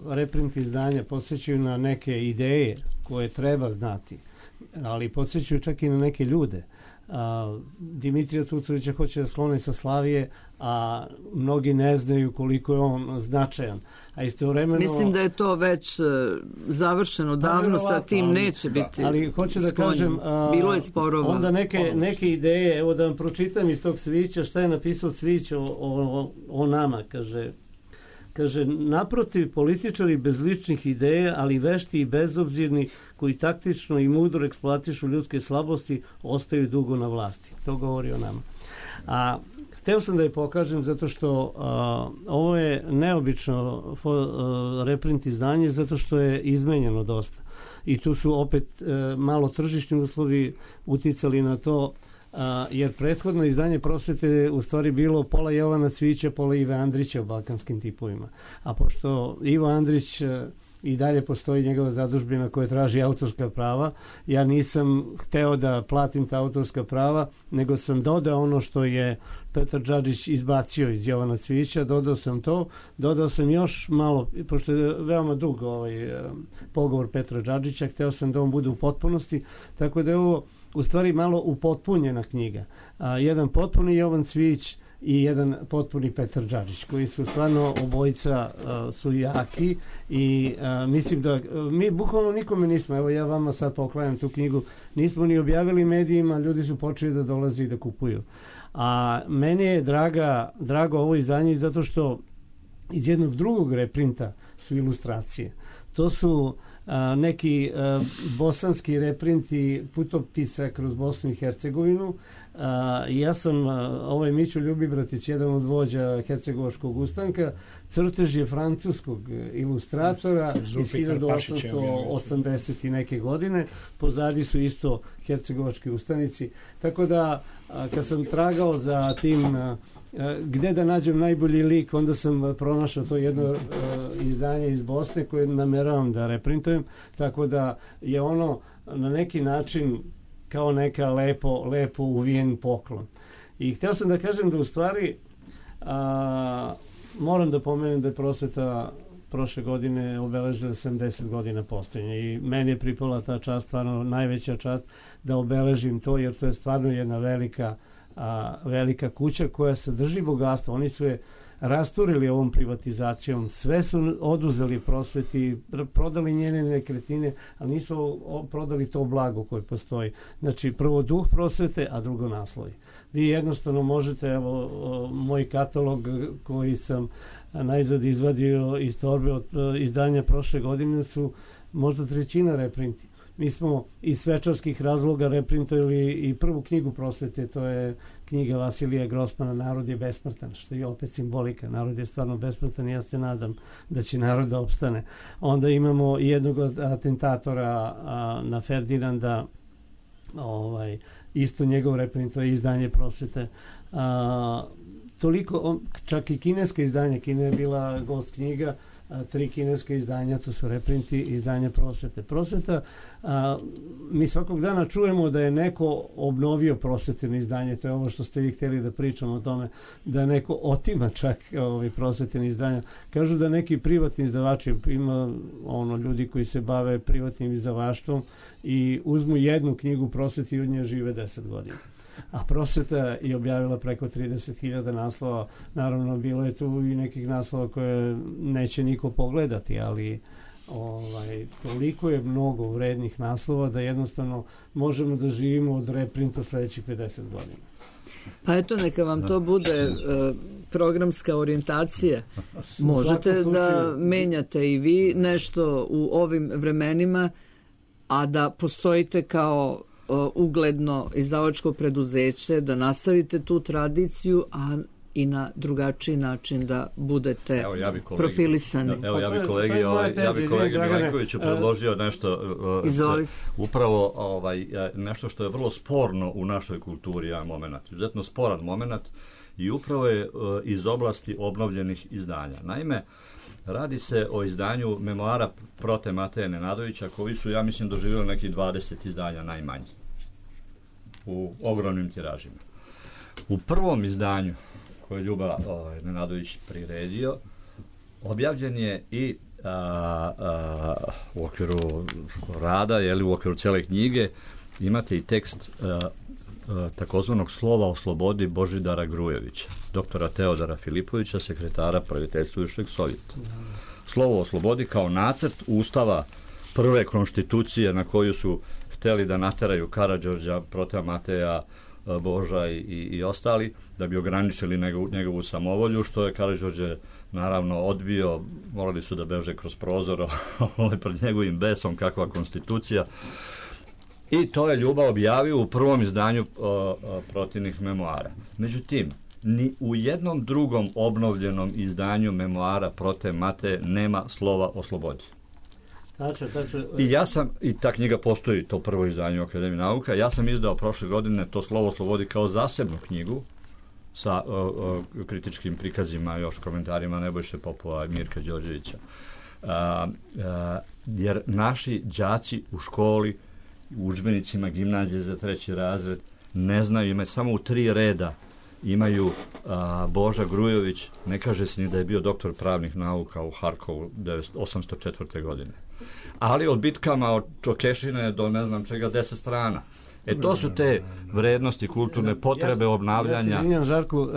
reprint izdanja podsjećaju na neke ideje koje treba znati, ali podsjećaju čak i na neke ljude. Dimitrija Tucovića hoće da sklone sa Slavije, a mnogi ne znaju koliko je on značajan. A istovremeno... Mislim da je to već završeno davno, sa tim neće biti. Ali hoću da kažem, bilo je sporova. Onda neke ideje, evo da vam pročitam iz tog Cvijića, šta je napisao Cvijić o nama, kaže, naprotiv, političari bez ličnih ideja, ali vešti i bezobzirni, koji taktično i mudro eksploatišu ljudske slabosti, ostaju dugo na vlasti. To govori o nama. A hteo sam da je pokažem zato što ovo je neobično reprint izdanje, zato što je izmenjeno dosta. I tu su opet malo tržišni uslovi uticali na to, jer prethodno izdanje Prosvete u stvari bilo pola Jovana Cvijića, pola Ive Andrića u balkanskim tipovima. A pošto Ivo Andrić i dalje postoji njegova zadužbina koja traži autorska prava, ja nisam hteo da platim ta autorska prava, nego sam dodao ono što je Petar Džadžić izbacio iz Jovana Cvijića, dodao sam još malo, pošto je veoma dug pogovor Petra Džadžića, hteo sam da on bude u potpunosti, tako da je ovo u stvari malo upotpunjena knjiga. Jedan potpuni Jovan Cvijić i jedan potpuni Petar Džadžić, koji su stvarno obojica su jaki i mislim da mi bukvalno nikome nismo, evo ja vama sad poklanjam tu knjigu, nismo ni objavili medijima, ljudi su počeli da dolaze i da kupuju. A meni je drago ovo izdanje zato što iz jednog drugog reprinta su ilustracije. To su neki bosanski reprinti putopisa kroz Bosnu i Hercegovinu. Ja sam, ovo je Mićo Ljubibratić, jedan od vođa Hercegovačkog ustanka, crtež je francuskog ilustratora iz 1880 i neke godine, pozadi su isto hercegovački ustanici, tako da kad sam tragao za tim gde da nađem najbolji lik, onda sam pronašao to jedno izdanje iz Bosne koje nameravam da reprintujem, tako da je ono na neki način kao neka lepo uvijen poklon. I hteo sam da kažem da u stvari moram da pomenem da je Prosveta prošle godine obeležila 70 godina postojanja i meni je pripala ta čast, stvarno najveća čast da obeležim to, jer to je stvarno jedna velika kuća koja sadrži bogatstvo. Oni su je rasturili ovom privatizacijom, sve su oduzeli Prosveti, prodali njene nekretnine, ali nisu prodali to blago koje postoji. Znači, prvo duh Prosvete, a drugo naslovi. Vi jednostavno možete, evo, moj katalog koji sam najzad izvadio iz torbe od izdanja prošle godine su možda trećina reprinti. Mi smo iz svečarskih razloga reprintovali i prvu knjigu Prosvete, to je knjiga Vasilija Grossmana Narod je besmrtan, što je opet simbolika. Narod je stvarno besmrtan i ja se nadam da će narod da opstane. Onda imamo jednog od atentatora na Ferdinanda, isto njegov reprint, to je izdanje Prosvete. Toliko, čak i kineska izdanja, Kina je bila gost knjiga, 3 kineske izdanja, to su reprinti izdanja Prosvete. Prosveta, mi svakog dana čujemo da je neko obnovio prosveteno izdanje, to je ovo što ste vi htjeli da pričamo o tome, da neko otima čak prosveteno izdanja. Kažu da neki privatni izdavači, ima ljudi koji se bave privatnim izdavaštvom i uzmu jednu knjigu Prosvete i od nje žive 10 godina. A Prosveta je objavila preko 30.000 naslova. Naravno, bilo je tu i nekih naslova koje neće niko pogledati, ali toliko je mnogo vrednih naslova da jednostavno možemo da živimo od reprinta sledećih 50 godina. Pa eto, neka vam to bude programska orijentacija. Možete da menjate i vi nešto u ovim vremenima, a da postojite kao ugledno izdavačko preduzeće, da nastavite tu tradiciju, a i na drugačiji način da budete profilisani. Evo, ja bi kolegi Milenkoviću predložio nešto. Izvolite. Upravo nešto što je vrlo sporno u našoj kulturi, jedan moment, izuzetno sporan moment, i upravo je iz oblasti obnovljenih izdanja. Naime, radi se o izdanju memoara Prote Mateje Nenadovića, koji su, ja mislim, doživjeli nekih 20 izdanja najmanje u ogromnim tiražima. U prvom izdanju koje je Ljuba Nenadović priredio, objavljen je i u okviru rada, u okviru cele knjige, imate i tekst takozvanog slova o slobodi Božidara Grujevića, doktora Teodora Filipovića, sekretara praviteljstva Bivšeg Sovjeta. Slovo o slobodi kao nacrt ustava prve konstitucije na koju su hteli da nateraju Karađorđa, Protea Mateja, Boža i ostali, da bi ograničili njegovu samovolju, što je Karađorđe naravno odbio, morali su da beže kroz prozor pred njegovim besom, kakva konstitucija. I to je Ljuba objavio u prvom izdanju protivnih memoara. Međutim, ni u jednom drugom obnovljenom izdanju memoara Prote Mateje nema slova o slobodi. I ta knjiga postoji, to prvo izdanje u Akademiji nauka. Ja sam izdao prošle godine to slovo o slobodi kao zasebnu knjigu sa kritičkim prikazima, još komentarima Nebojše Popova i Mirka Đorđevića. Jer naši đaci u školi, u udžbenicima gimnazije za 3. razred ne znaju, imaju samo u 3 reda imaju Boža Grujović, ne kaže se ni da je bio doktor pravnih nauka u Harkovu 1804. godine. Ali od bitkama od Čokešine do ne znam čega 10 strana. To su te vrednosti, kulturne potrebe, obnavljanja. Ja se izvinjam, Žarku.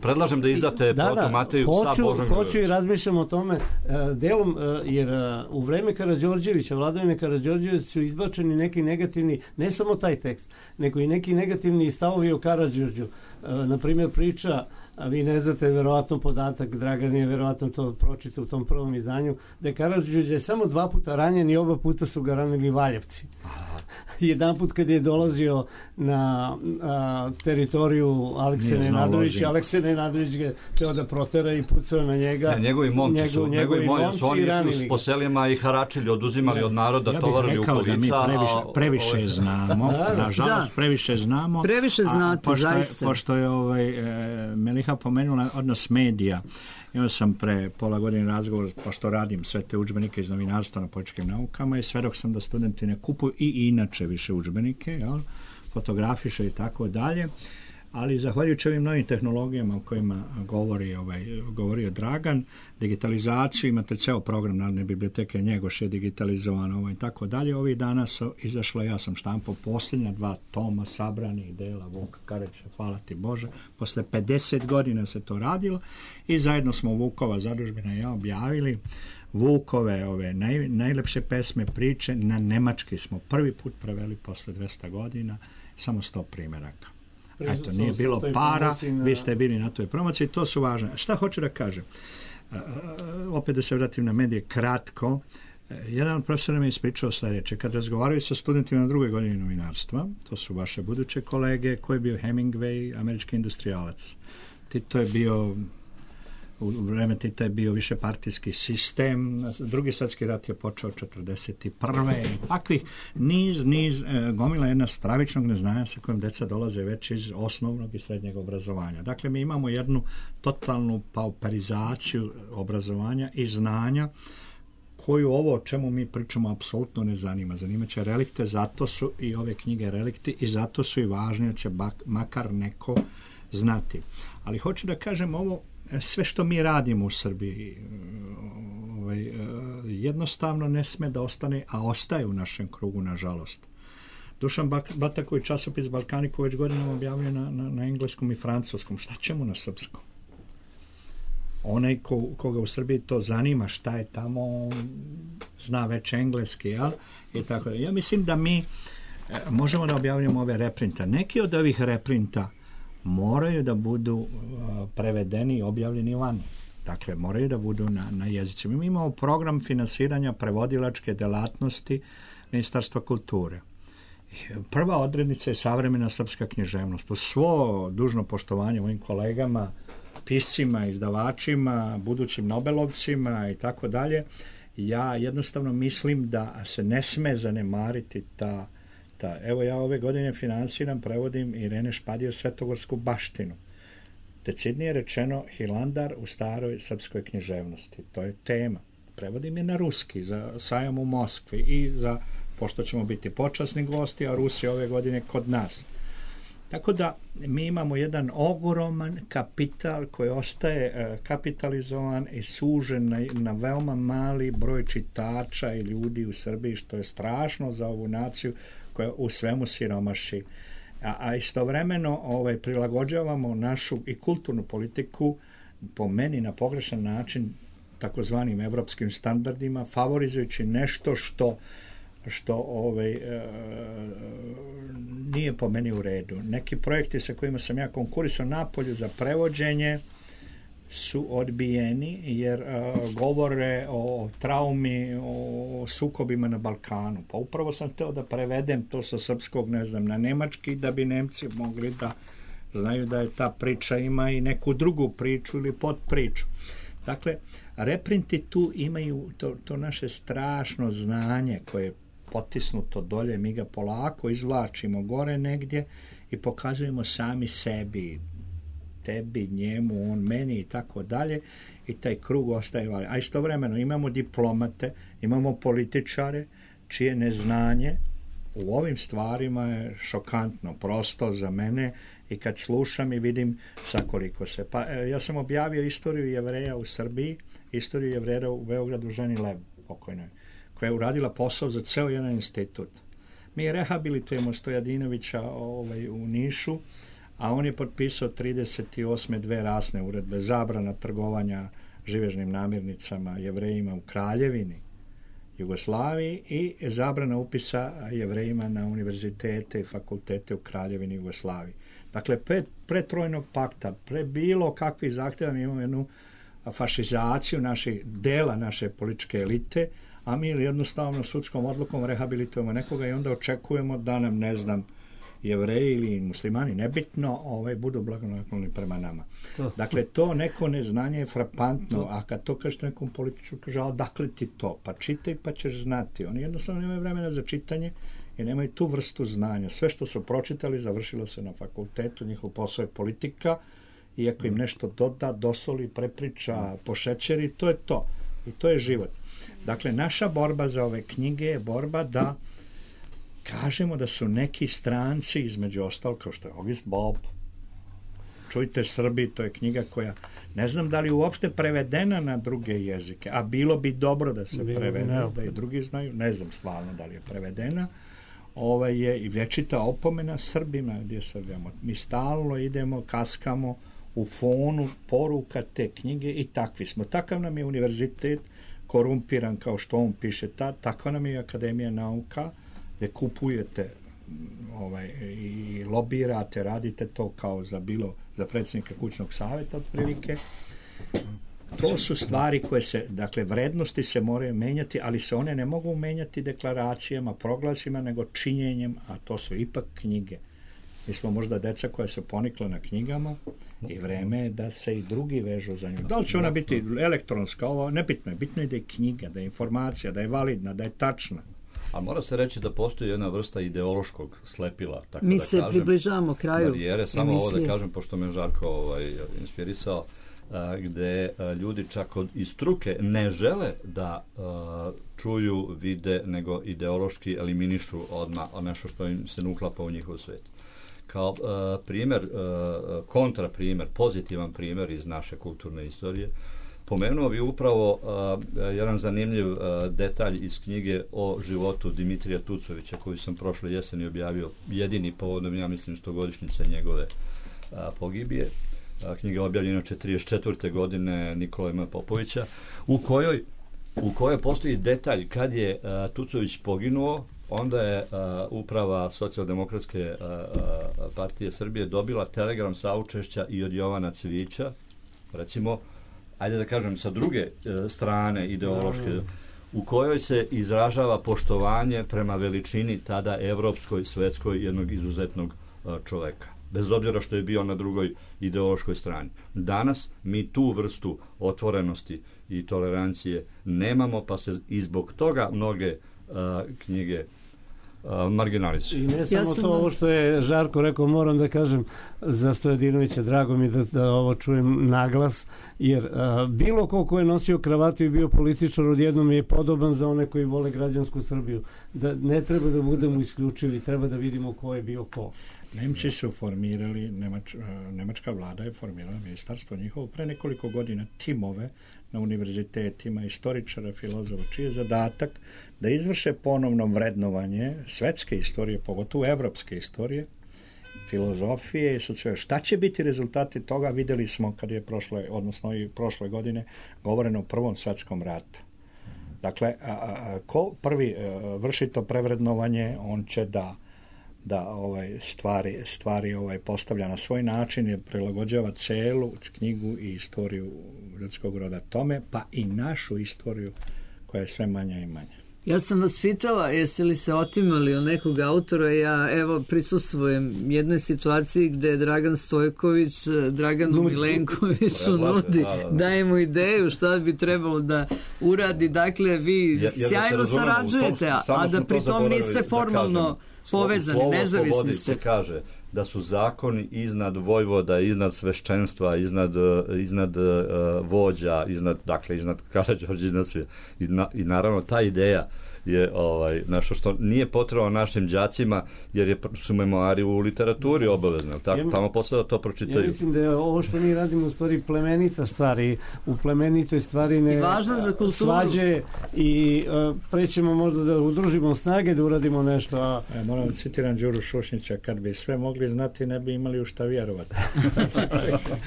Predlažem da izdate Protu Mateju sa Božom Grujovićem. Hoću i razmišljam o tome delom, jer u vreme Karađorđevića, vladavine Karađorđevića su izbačeni neki negativni, ne samo taj tekst, nego i neki negativni stavovi o Karađorđu. Naprimjer, priča, a vi ne znate verovatno podatak, Dragan je verovatno to pročitao u tom prvom izdanju, da je Karađorđe samo 2 puta ranjen i oba puta su ga ranili Valjevci. Jedan put kad je dolazio na teritoriju Alekse Nenadovića, Alekse Nenadović ga teo da protera i pucao na njega. Njegovi momci su oni išli po selima i haračili, oduzimali od naroda, tovarili u kolica. Ja bih rekao da mi previše znamo, nažalost previše znamo. Previše znate, zaista. Pošto je Meliha pomenula odnos medija. Imao sam pre pola godine razgovor, pošto radim sve te udžbenike iz novinarstva na političkim naukama i svedok sam da studenti ne kupuju i inače više udžbenike, fotografiše i tako dalje, ali zahvaljujući ovim novim tehnologijama o kojima govorio Dragan, digitalizaciju, imate ceo program Narodne biblioteke, Njegoš je digitalizovan i tako dalje. Ovih dana su izašla, ja sam štampao posljednja 2 toma sabranih dela Vuka Karadžića, hvala ti Bože, posle 50 godina se to radilo i zajedno smo Vukova zadužbina i ja objavili Vukove najlepše pesme, priče, na nemački smo prvi put preveli posle 200 godina, samo 100 primeraka. Eto, nije bilo para, vi ste bili na toj promociji, to su važne. Šta hoću da kažem? Opet da se vratim na medije kratko. Jedan od profesora mi je ispričao sljedeće. Kad razgovaraju sa studentima na 2. godini novinarstva, to su vaše buduće kolege, ko je bio Hemingway, američki industrijalac. Tito je bio, u vreme Tita je bio više partijski sistem, Drugi svjetski rat je počeo 1941. Takvih niz gomila jedna stravičnog neznanja sa kojim deca dolaze već iz osnovnog i srednjeg obrazovanja. Dakle, mi imamo jednu totalnu pauperizaciju obrazovanja i znanja koju ovo o čemu mi pričamo apsolutno ne zanima. Zanimaće relikte, zato su i ove knjige relikti i zato su i važne, da će makar neko znati. Ali hoću da kažem ovo, sve što mi radimo u Srbiji jednostavno ne sme da ostane, a ostaje u našem krugu, nažalost. Dušan Bataković časopis Balkaniku već godinama objavio na engleskom i francuskom. Šta ćemo na srpskom? Onaj koga u Srbiji to zanima, šta je tamo, zna već engleski, jel? I tako. Ja mislim da mi možemo da objavljamo ove reprinta. Neki od ovih reprinta moraju da budu prevedeni i objavljeni vani. Dakle, moraju da budu na jezicima. Mi imamo program finansiranja prevodilačke delatnosti Ministarstva kulture. Prva odrednica je savremena srpska književnost. U svo dužno poštovanje mojim kolegama, piscima, izdavačima, budućim Nobelovcima i tako dalje, ja jednostavno mislim da se ne sme zanemariti ta. Evo ja ove godine finansiram, prevodim Irene Špadijev Svetogorsku baštinu. Decidnije rečeno Hilandar u staroj srpskoj književnosti. To je tema. Prevodim je na ruski za sajam u Moskvi i za, pošto ćemo biti počasni gosti, a Rusi ove godine kod nas. Tako da mi imamo jedan ogroman kapital koji ostaje kapitalizovan i sužen na veoma mali broj čitača i ljudi u Srbiji, što je strašno za ovu naciju koja u svemu siromaši. A istovremeno prilagođavamo našu i kulturnu politiku po meni na pogrešan način takozvanim evropskim standardima, favorizujući nešto što nije po meni u redu. Neki projekti sa kojima sam ja konkurisao napolju za prevođenje su odbijeni jer govore o traumi, o sukobima na Balkanu. Pa upravo sam hteo da prevedem to sa srpskog, ne znam, na nemački, da bi Nemci mogli da znaju da je ta priča ima i neku drugu priču ili podpriču. Dakle, reprinti tu imaju to naše strašno znanje koje je potisnuto dolje, mi ga polako izvlačimo gore negdje i pokazujemo sami sebi, tebi, njemu, on, meni i tako dalje, i taj krug ostaje vali. A istovremeno imamo diplomate, imamo političare čije neznanje u ovim stvarima je šokantno, prosto za mene, i kad slušam i vidim sakoliko se. Pa ja sam objavio istoriju Jevreja u Srbiji, istoriju Jevreja u Beogradu, ženi Lev, pokojnoj, koja je uradila posao za ceo jedan institut. Mi rehabilitujemo Stojadinovića u Nišu, a on je potpisao 38. 2 rasne uredbe, zabrana trgovanja živežnim namirnicama Jevrejima u Kraljevini Jugoslaviji i zabrana upisa Jevrejima na univerzitete i fakultete u Kraljevini Jugoslaviji. Dakle, pre Trojnog pakta, pre bilo kakvih zahtjeva, mi imamo jednu fašizaciju dela naše političke elite, a mi jednostavno sudskom odlukom rehabilitujemo nekoga i onda očekujemo da nam, ne znam, Jevreji ili muslimani, nebitno, budu blagonakloni prema nama. Dakle, to neko neznanje je frapantno, a kad to kažete nekom političku, kaže, a dakle ti to? Pa čitaj pa ćeš znati. Oni jednostavno nemaju vremena za čitanje i nemaju tu vrstu znanja. Sve što su pročitali završilo se na fakultetu, njihov posao je politika, i ako im nešto doda, dosoli, prepriča, pošećeri, to je to. I to je život. Dakle, naša borba za ove knjige je borba da kažemo da su neki stranci, između ostalog, kao što je August Bob, Čujte Srbi, to je knjiga koja, ne znam da li je uopšte prevedena na druge jezike, a bilo bi dobro da se prevede, da i drugi znaju, ne znam stvarno da li je prevedena, je i vječita opomena Srbima, gdje Srbijamo. Mi stalno idemo, kaskamo u fonu poruka te knjige i takvi smo. Takav nam je univerzitet, korumpiran kao što on piše, takva nam je Akademija nauka, gdje kupujete i lobirate, radite to kao za predsjednika kućnog savjeta otprilike. To su stvari koje se, dakle, vrednosti se moraju menjati, ali se one ne mogu menjati deklaracijama, proglasima, nego činjenjem, a to su ipak knjige. Mi smo možda deca koja su ponikla na knjigama i vreme je da se i drugi vežu za nju. Da li će ona biti elektronska, ovo nebitno je. Bitno je da je knjiga, da je informacija, da je validna, da je tačna. A mora se reći da postoji jedna vrsta ideološkog slepila. Tako mi da se kažem, približavamo kraju barijere. Samo ovo da kažem, pošto me Žarko inspirisao, gde ljudi čak iz struke ne žele da čuju, vide, nego ideološki eliminišu odmah nešto što im se uklapa u njihov svet. Kao primjer, kontraprimjer, pozitivan primjer iz naše kulturne istorije, pomenuo bi upravo jedan zanimljiv detalj iz knjige o životu Dimitrija Tucovića, koju sam prošle jeseni objavio, jedini povodom, ja mislim, 100-godišnjice njegove pogibije. Knjiga je objavljena 1944. godine Nikole Popovića, u kojoj postoji detalj kad je Tucović poginuo, onda je uprava Socijaldemokratske partije Srbije dobila telegram saučešća i od Jovana Cvijića, recimo, ajde da kažem, sa druge strane ideološke, u kojoj se izražava poštovanje prema veličini tada evropskoj, svetskoj, jednog izuzetnog čoveka, bez obzira što je bio na drugoj ideološkoj strani. Danas mi tu vrstu otvorenosti i tolerancije nemamo, pa se i zbog toga mnoge knjige marginalizuju. I ne samo to, ovo što je Žarko rekao, moram da kažem za Stojadinovića, drago mi da ovo čujem naglas, jer bilo ko je nosio kravatu i bio političar odjednom je podoban za one koji vole građansku Srbiju. Da ne treba da budemo isključivi, treba da vidimo ko je bio ko. Nemci su formirali, nemačka vlada je formirala ministarstvo njihovo pre nekoliko godina, timove na univerzitetima, istoričara, filozofa, čiji je zadatak da izvrše ponovno vrednovanje svetske istorije, pogotovo evropske istorije, filozofije i sociologije. Šta će biti rezultati toga? Videli smo kad je prošle godine govoreno o Prvom svetskom ratu. Dakle, ko prvi vrši to prevrednovanje, on će da stvari postavlja na svoj način i prilagođava celu knjigu i istoriju ljudskog roda tome, pa i našu istoriju koja je sve manja i manja. Ja sam vas pitala, jeste li se otimali od nekog autora, ja evo prisustvujem jednoj situaciji gde je Dragan Stojković Draganu Milenkoviću nudi, daje mu ideju šta bi trebalo da uradi, dakle vi sjajno sarađujete, a da pritom niste formalno povezani, nezavisni ste. Se kaže da su zakoni iznad vojvoda, iznad svešćenstva, iznad vođa, iznad Karađorđa, iznad sve. I naravno ta ideja je nešto što nije potrebno našim đacima, jer su memoari u literaturi obavezne, tako? Tamo posle da to pročitaju. Ja mislim da je ovo što mi radimo u stvari plemenita stvar i u plemenitoj stvari ne svađe i prećemo možda da udružimo snage da uradimo nešto. Moram da citiram Đuru Šušnića, kad bi sve mogli znati ne bi imali u šta vjerovati.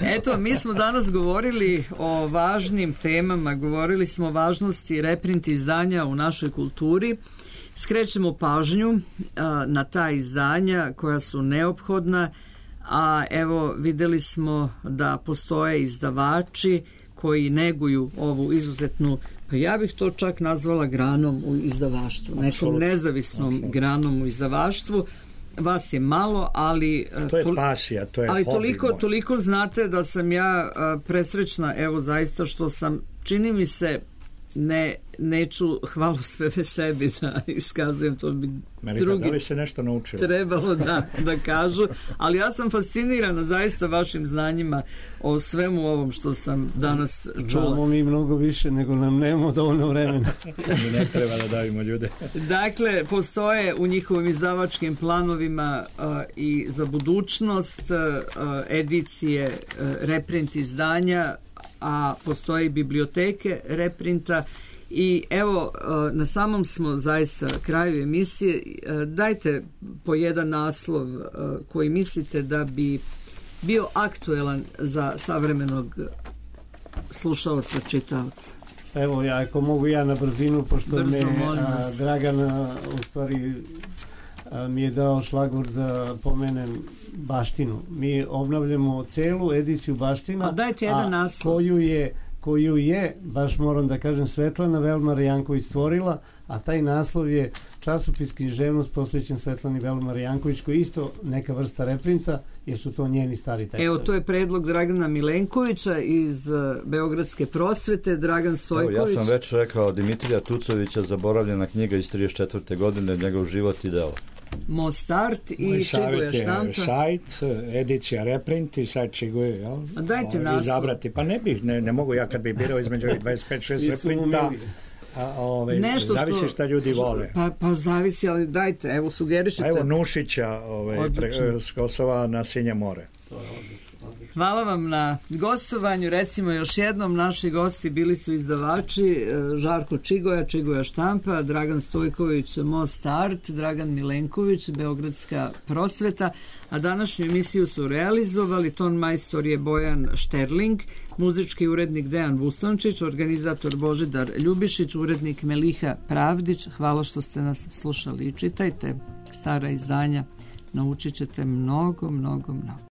Eto, mi smo danas govorili o važnim temama, govorili smo o važnosti reprint izdanja u našoj kulturi. Skrećemo pažnju na ta izdanja koja su neophodna, a evo videli smo da postoje izdavači koji neguju ovu izuzetnu, pa ja bih to čak nazvala granom u izdavaštvu, nekom nezavisnom granom u izdavaštvu. Vas je malo, ali to je pasija, to je ali hobi. Toliko znate da sam ja presrećna, evo zaista što sam, čini mi se, neću hvalu sve sebi da iskazujem, to bi drugi da li se nešto naučilo? Trebalo da kažu, ali ja sam fascinirana zaista vašim znanjima o svemu ovom što sam danas čula. Znamo mi mnogo više nego nam nemamo dovoljno vremena. Mi ne treba da davimo ljude. Dakle, postoje u njihovim izdavačkim planovima i za budućnost edicije reprint izdanja, a postoje biblioteke reprinta i evo na samom smo zaista kraju emisije. Dajte po jedan naslov koji mislite da bi bio aktuelan za savremenog slušaoca, čitaoca. Evo, ako mogu ja na brzinu, pošto me Dragan u stvari mi je dao šlagvort za pomenem Baštinu. Mi obnavljamo celu ediciju Baština, koju je, baš moram da kažem, Svetlana Velmar Janković stvorila, a taj naslov je časopis Književnost posvećen Svetlani Velmar Janković, koji je isto neka vrsta reprinta, jer su to njeni stari tekstovi. Evo, to je predlog Dragana Milenkovića iz Beogradske prosvete, Dragan Stojković. Evo, ja sam već rekao Dimitrija Tucovića, zaboravljena knjiga iz 34. godine, njegov život i delo. Mostart i Čiguje štampa. Moj sajt, edicija reprint i sajt Čiguje, jel? A dajte naslov. Izabrati. Pa ne mogu ja kad bih birao između 25-6 reprinta. Zavisi šta ljudi vole. Pa zavisi, ali dajte, evo sugerišite. Evo Nušića s Kosova na Sinje more. Hvala vam na gostovanju. Recimo još jednom, naši gosti bili su izdavači Žarko Čigoja, Čigoja štampa, Dragan Stojković, Most Art, Dragan Milenković, Beogradska prosveta, a današnju emisiju su realizovali ton majstor je Bojan Šterling, muzički urednik Dejan Vustančić, organizator Božidar Ljubišić, urednik Meliha Pravdić. Hvala što ste nas slušali i čitajte stara izdanja, naučit ćete mnogo.